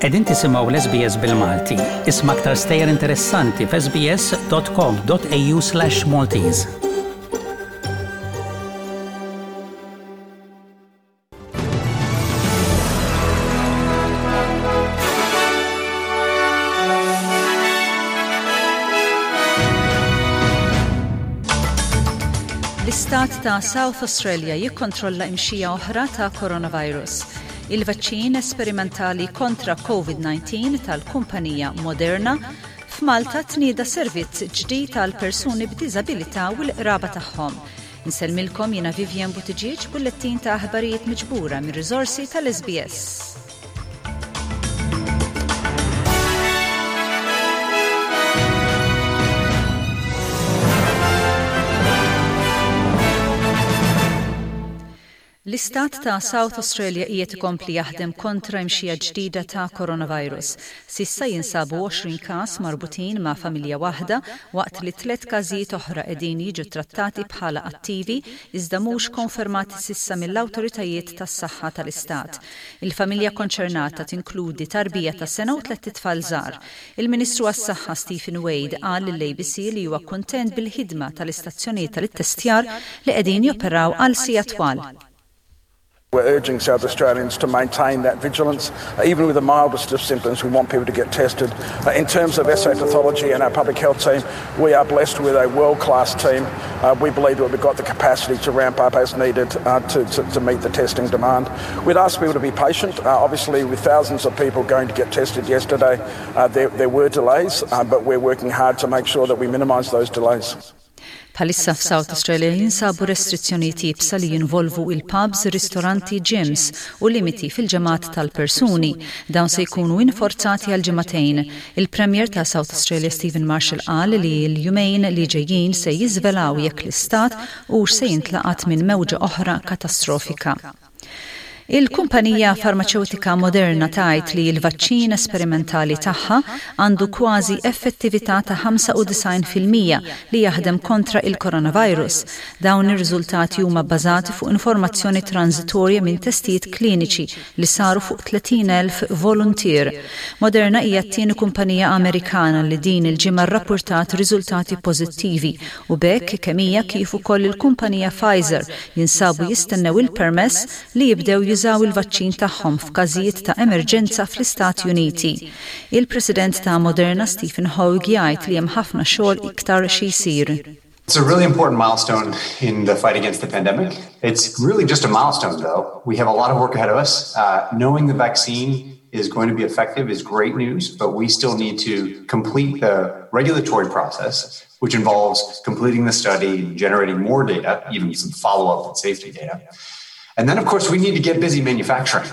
Qegħdin tisimgħu l-SBS bil-Malti. Isma' aktar stejjer interessanti f'sbs.com.au/Maltese. L-istat ta' South Australia jikkontrolla imxija oħra ta' coronavirus. Il-vaċċin esperimentali kontra COVID-19 tal-kumpanija Moderna f'Malta tnieda servizz ġdid għal persuni b'diżabilità u l-qraba tagħhom. Insellmilkom jiena Vivian Buttigieg bullettin ta' aħbarijiet miġbura mir-riżorsi tal-SBS. L-Istat ta' South Australia qiegħed ikompli jaħdem kontra imxija ġdida ta' coronavirus. S'issa jinsabu 20 każ marbutin ma' familja waħda waqt li tlett każijiet oħra qegħdin jiġu ttrattati bħala attivi iżda mhux konfermati s'issa mill-awtoritajiet tas-saħħa tal-istat. Il-familja konċernata tinkludi tarbija ta' sena u tlett itfal żgħar. Il-Ministru għas-Saħħa Stephen Wade qal lill-ABC li huwa kuntent bil-ħidma tal-istazzjonijiet tal-ittestjar li qegħdin joperaw għal sigħat twal. We're urging South Australians to maintain that vigilance. Uh, even with the mildest of symptoms, we want people to get tested. Uh, in terms of SA Pathology and our public health team, we are blessed with a world-class team. Uh, we believe that we've got the capacity to ramp up as needed uh, to, to, to meet the testing demand. We'd ask people to be patient. Uh, obviously, with thousands of people going to get tested yesterday, uh, there, there were delays, uh, but we're working hard to make sure that we minimise those delays. Bħalissa f'South Australia jinsabu restrizzjonijiet iebsa li jinvolvu il-pubs, ristoranti, gyms u limiti fil-ġemgħat tal-persuni. Dawn se jkunu inforzati għal ġimagħtejn. Il-Premier ta' South Australia Stephen Marshall qal li l-jumejn li ġejjin se jiżvelaw jekk l-istat hux se jintlaqat minn mewġa oħra katastrofika. Il-kumpanija farmaċewtika Moderna tgħid li l-vaċċin esperimentali tagħha għandu kważi effettività ta' 95% li jaħdem kontra il-coronavirus. Dawn ir-riżultati huma bbażati fuq informazzjoni transitorja minn testijiet kliniċi li saru fuq 30,000 voluntier. Moderna hija t-tieni kumpanija Amerikana li din il-ġimgħa rrappurtat riżultati pożittivi u b'hekk kemm hija kif ukoll il-kumpanija Pfizer jinsabu jistennew il-permess li jibdew jużaw il-vaċċin tagħhom f'każijiet ta' emerġenza fl-Istati Uniti. Il-President ta' Moderna Stephen Hoge jgħid li hemm ħafna xogħol iktar xi jsir. It's a really important milestone in the fight against the pandemic. It's really just a milestone, though. We have a lot of work ahead of us. Uh, knowing the vaccine is going to be effective is great news, but we still need to complete the regulatory process, which involves completing the study, generating more data, even some follow-up and safety data. And then, of course, we need to get busy manufacturing.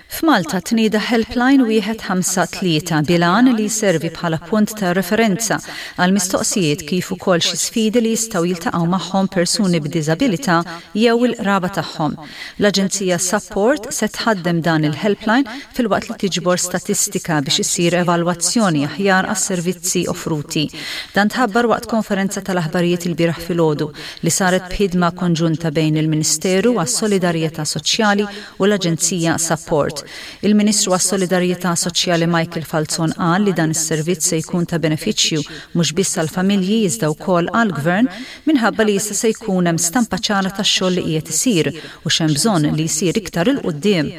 F'Malta tnieda Helpline 153 bil-għan li jservi bħala punt ta' referenza għal mistoqsijiet kif ukoll xi sfidi li jistgħu jiltaqgħu magħhom persuni b'diżabilità jew il-qraba tagħhom. L-Aġenzija Sapport se tħaddem dan il-helpline filwaqt li tiġbor statistika biex issir evalwazzjoni aħjar għas-servizzi offruti. Dan tħabbar waqt konferenza tal-aħbarijiet ilbieraħ filgħodu li saret b'ħidma konġunta bejn il-Ministeru għas-Solidarjetà Soċjali u l-Aġenzija Sapport. Il-Ministru għas-Solidarjetà Soċjali Michael Falzon qal li dan is-servizz se jkun ta' benefiċċju mhux biss għall-familji iżda wkoll għall-Gvern minħabba li issa se jkun hemm stampa ċara tax-xogħol li qiegħed isir u x'hemm bżonn li jsir iktar 'il quddiem.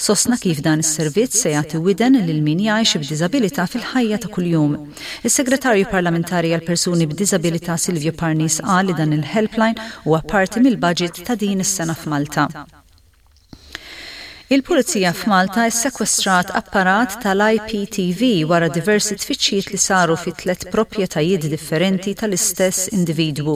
Sostna kif dan is-servizz se jagħti widen lil min jgħix b'diżabilità fil-ħajja ta' kuljum. Is-Segretarju Parlamentari għall-Persuni b'Diżabilità Silvio Parnis qal li dan il-helpline huwa parti mill-budget ta' din is-sena f'Malta. Il-Pulizija f'Malta ssekwestrat apparat tal-IPTV wara diversi tfittxijiet li saru fi tlett proprjetajiet differenti tal-istess individwu.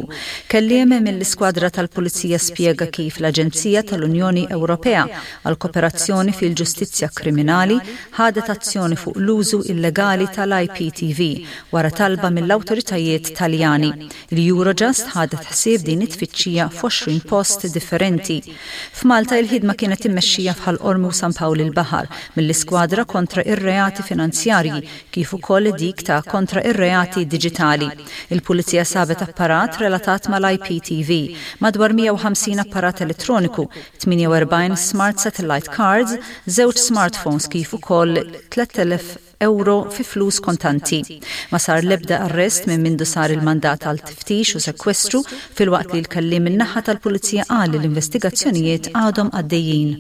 Kelliem mill-Iskwadra tal-Pulizija spjega kif l-Aġenzija tal-Unjoni Ewropea għall-Koperazzjoni fil-Ġustizzja Kriminali ħadet azzjoni fuq l-użu illegali tal-IPTV wara talba mill-awtoritajiet Taljani. Il-Eurojust ħadet ħsieb din it-tfittxija f'20 post differenti. F'Malta il-ħidma kienet immexxija f'Ħal. Qormi u San Pawl il-Baħar mill-Iskwadra kontra ir-Reati Finanzjarji kif ukoll dik ta' kontra ir-reati diġitali. Il-Pulizija sabet apparat relatat mal-IPTV, madwar 150 apparat elettroniku, 48 smart satellite cards, żewġ smartphones kif ukoll 3,000 ewro fi flus kontanti. Ma sar l-ebda arrest minn mindu sar il-mandat għal tiftix u sekwestru filwaqt li l-kelliem min-naħa tal-Pulizija qal li l-investigazzjonijiet għadhom għaddejjin.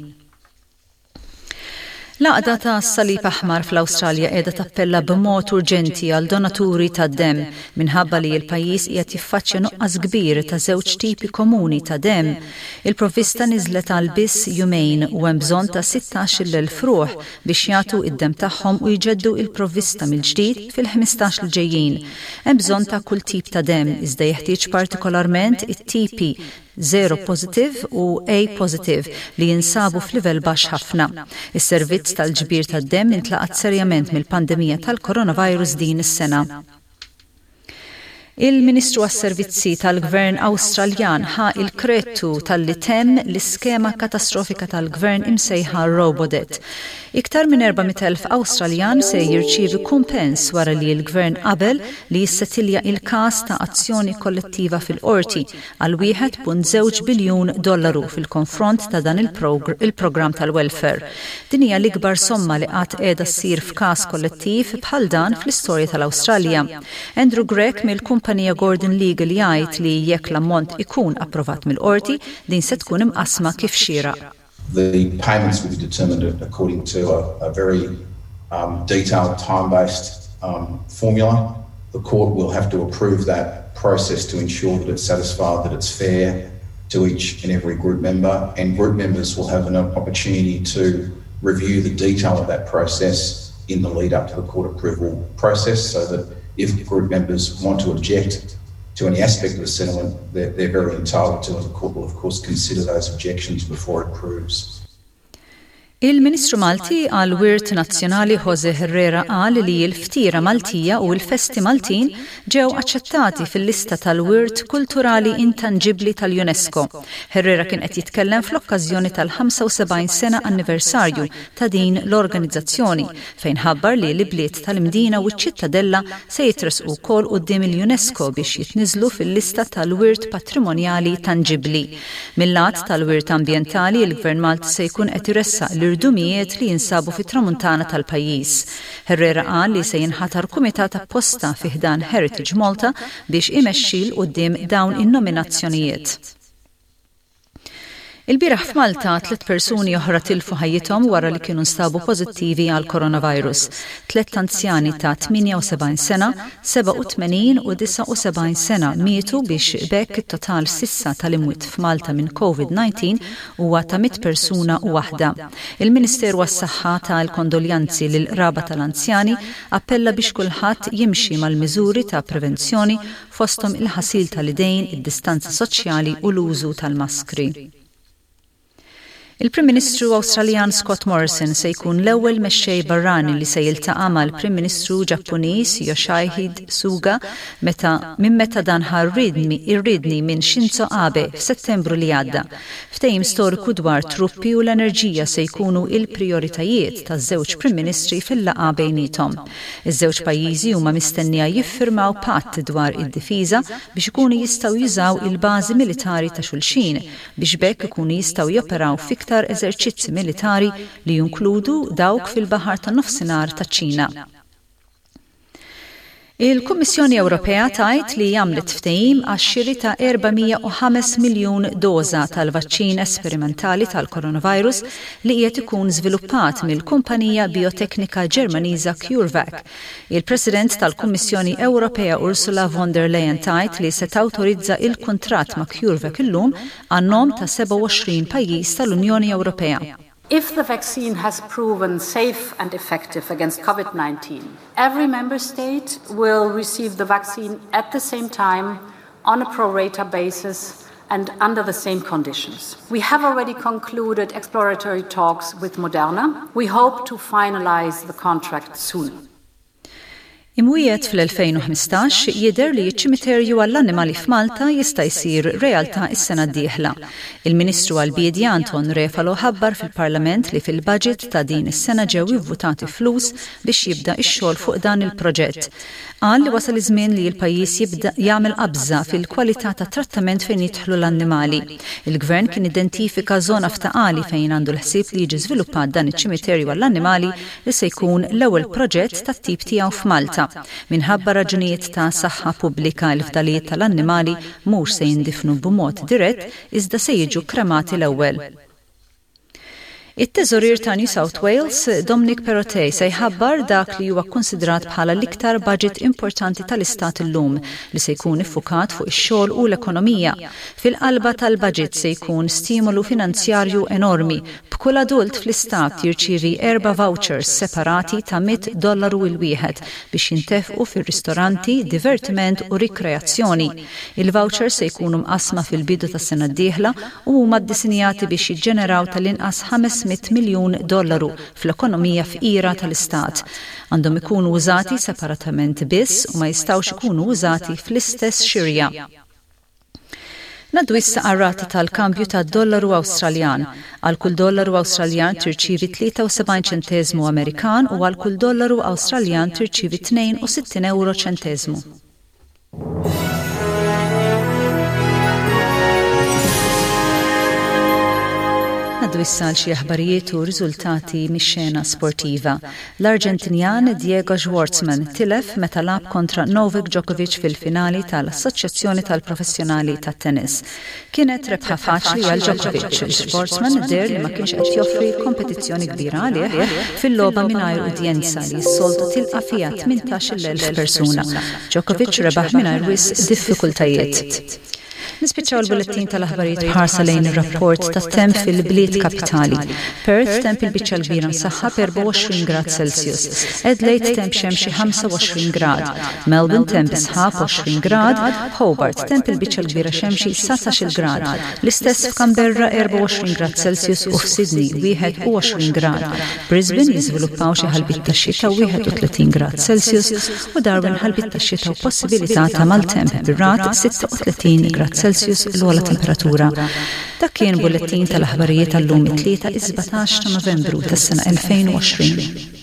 L-Għaqda tas-Salib Aħmar fl-Awstralja qiegħda tappella b'mod urġenti għal donaturi tad-demm minħabba li l-pajjiż qiegħed jiffaċċja nuqqas kbir ta' żewġ tipi komuni ta' demm. Il-provvista niżlet għal biss jumejn u hemm bżonn ta' 16,000 ruħ biex jagħtu d-demm tagħhom u jġeddu il-provvista mill-ġdid fil-15 li ġejjin. Hemm bżonn ta' kull tip ta' demm iżda jeħtieġ partikolarment it-tipi 0 positive u A positive li jinsabu f'livell baxx ħafna. Is-servizz tal-ġbir tad-demm intlaqat serjament mill-pandemija tal-coronavirus din is-sena. Il-Ministru għas-Servizzi tal-Gvern Awstraljan ħa l-kredtu talli temm l-iskema katastrofika tal-Gvern imsejħa Robodebt. Iktar minn 400,000 Awstraljan se jirċievi kumpens wara li l-Gvern qabel li jissetilja il-każ ta' azzjoni kollettiva fil-qorti għal 1.2 biljun dollaru fil-konfront ta' dan il-programm tal-welfare. Din hija l-ikbar somma li qatt qiegħda ssir f'każ kollettiv bħal dan fl-istorja tal-Awstralja. Andrew Grech mill-kumpanija Gordon Legal jgħid li jekk l-ammont ikun approvat mill-qorti, din se tkun imqassma kif xieraq. The payments will be determined according to a, a very um, detailed time-based um, formula. The court will have to approve that process to ensure that it's satisfied that it's fair to each and every group member, and group members will have an opportunity to review the detail of that process in the lead up to the court approval process so that if group members want to object to any aspect of the settlement, they're, they're very entitled to, and the court will, of course, consider those objections before it approves. Il-Ministru Malti għal Wirt Nazzjonali Jose Herrera qal li l-ftira Maltija u l-festi Maltin ġew aċċettati fil-lista tal-Wirt Kulturali Intanġibbli tal-UNESCO. Herrera kien qed jitkellem fl-okkażjoni tal-75 sena anniversarju ta' din l-organizzazzjoni fejn ħabbar li l-ibliet tal-Imdina u ċ-Ċittadella se jitressqu wkoll quddiem il-UNESCO biex jitniżżlu fil-lista tal-wirt patrimonjali tanġibbli. Mil-lat tal-wirt ambjentali, il-Gvern Malti se jkun qed iressaq l-irdumijiet li jinsabu fit-Tramuntana tal-pajjiż. Herrera qal li se jinħatar kumitat apposta fi ħdan Heritage Malta biex imexxi 'l quddiem dawn in-nominazzjonijiet. Ilbieraħ f'Malta, tlett persuni oħra tilfu ħajjithom wara li kienu nstabu pożittivi għall-coronavirus. Tlett anzjani ta' 78 sena, 87 u 79 sena mietu biex b'hekk it-total s'issa tal-imwiet f'Malta minn Covid-19 huwa ta' 100 persuna u waħda. Il-Ministeru għas-Saħħa ta l-kondoljanzi lill-qraba tal-anzjani, appella biex kulħadd jimxi mal-miżuri ta' prevenzjoni fosthom il-ħasil tal-idejn, id-distanza soċjali u l-użu tal-maskri. Il-Prim Ministru Awstraljan Scott Morrison se jkun l-ewwel mexxej barrani li se jiltaqa' mal-Prim Ministru Ġappuniż Yoshihide Suga meta minn meta dan ħa r-riedni minn Shinzo Abe f'Settembru li għadda. Ftehim storiku dwar truppi u l-enerġija se jkunu il-prijoritajiet taż-żewġ Prim Ministri fil-laqgħa bejniethom. Iż-żewġ pajjiżi huma mistennija jiffirmaw patt dwar id-difiża biex ikunu jistgħu jużaw il-bażi militari ta' xulxin biex b'hekk ikunu jistgħu joperaw f'iktar eżerċizzi militari li jinkludu dawk fil-Baħar tan-Nofsinhar taċ-Ċina. Il-Kummissjoni Ewropea tgħid li għamlet ftehim għax-xiri ta' 405 miljun doża tal-vaċċin esperimentali tal-coronavirus li qiegħed ikun żviluppat mill-kumpanija bijoteknika Ġermaniża CureVac. Il-President tal-Kummissjoni Ewropea Ursula von der Leyen tgħid li se tawtorizza il-kuntratt ma' CureVac illum għan-nom ta' 27 pajjiż tal-Unjoni Ewropea. If the vaccine has proven safe and effective against COVID-19, every member state will receive the vaccine at the same time on a pro rata basis and under the same conditions. We have already concluded exploratory talks with Moderna. We hope to finalize the contract soon. Imwiegħed fl-2015, jidher li ċ-ċimiterju għall-annimali f'Malta jista' jsir realtà s-sena d-dieħla. Il-Ministru għall-Biedja Anton Refalo ħabbar fil-Parlament li fil-budget ta' din is-sena ġew ivvutati flus biex jibda x-xogħol fuq dan il-proġett. Qal li wasal iż-żmien li l-pajjiż jibda jagħmel qabża fil-kwalità tat-trattament fejn jidħlu l-annimali. Il-Gvern kien identifika żona f'Ta' Qali fejn għandu l-ħsieb li jiġi żviluppat dan iċ-ċimiterju għall-annimali li se jkun l-ewwel proġett tat-tip tiegħu f'Malta. Minħabba raġunijiet ta' saħħa pubblika l-fdalijiet tal-annimali mhux se jindifnu b'mod dirett iżda se jiġu kremati l-ewwel. It-Teżorier ta' New South Wales, Dominic Perrottet, se jħabbar dak li huwa kkunsidrat bħala l-iktar baġit importanti tal-istat illum, li se jkun iffukat fuq ix-xogħol u l-ekonomija. Fil-qalba tal-baġit se jkun stimolu finanzjarju enormi, b'kull adult fl-istat jirċievi erba' vouchers separati ta' 100 dollaru il-wieħed biex jintefqu fir-ristoranti, divertiment u rikreazzjoni. Il-vouchers se jkunu mqassma fil-bidu tas-sena d-dieħla u huma ddisinjati biex jiġġeneraw tal-inqas 500 miljun dollaru fl-ekonomija fqira tal-istat. Għandhom ikunu użati separatament biss u ma jistgħux ikunu użati fl-istess xirja. Ngħaddu issa għar-rata tal-kambju tad-dollaru Awstraljan. Għal kull dollaru Awstraljan tirċievi 73 ċenteżmu Amerikan u għal kull dollaru Awstraljan tirċievi 62 ewro ċenteżmu. Ngħaddu issa għal xi aħbarijiet u riżultati mix-xena sportiva. L-Arġentinjan Diego Schwartzman tilef meta lagħab kontra Novak Djokovic fil-finali tal-Assoċjazzjoni tal-Professjonali tat-Tennis. Kienet rebħa faċli għal Djokovic. Schwartzman deher li ma kienx qed joffri kompetizzjoni kbira għalih fil-logħba mingħajr udjenza li s-soltu tilqa' fiha 18,000 persuna. Djokovic rebaħ mingħajr wisq diffikultajiet. Nispiċċaw il-bulettin tal-aħbarijiet b'ħarsa lejn ir-rapport tat-temp fil-bliet kapitali. Perth temp il-biċċa l-kbira msaħħab 24 grad Celsius. Adelaide temp xemxi 25 grad. Melbourne temp bi sħab 20 grad. Hobart temp il-biċċa l-kbira xemxi 19-il grad. L-istess f'Canberra 24 grad Celsius u f'Sydney 21 grad. Brisbane jiżviluppaw xi ħalbiet tax-xita 31 grad Celsius u Darwin ħalbiet tax-xita u possibilità ta' maltemp bir-ragħad 36 grad Celsius l-ogħla temperatura. Dak kien bullettin tal-aħbarijiet għal-lum it-Tlieta is-17 ta' Novembru tas-sena 2020.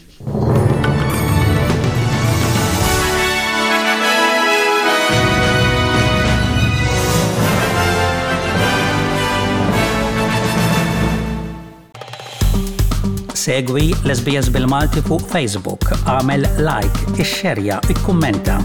Segwi l-SBS bil-Malti fuq Facebook, għamel like, ixxerja, ikkummenta.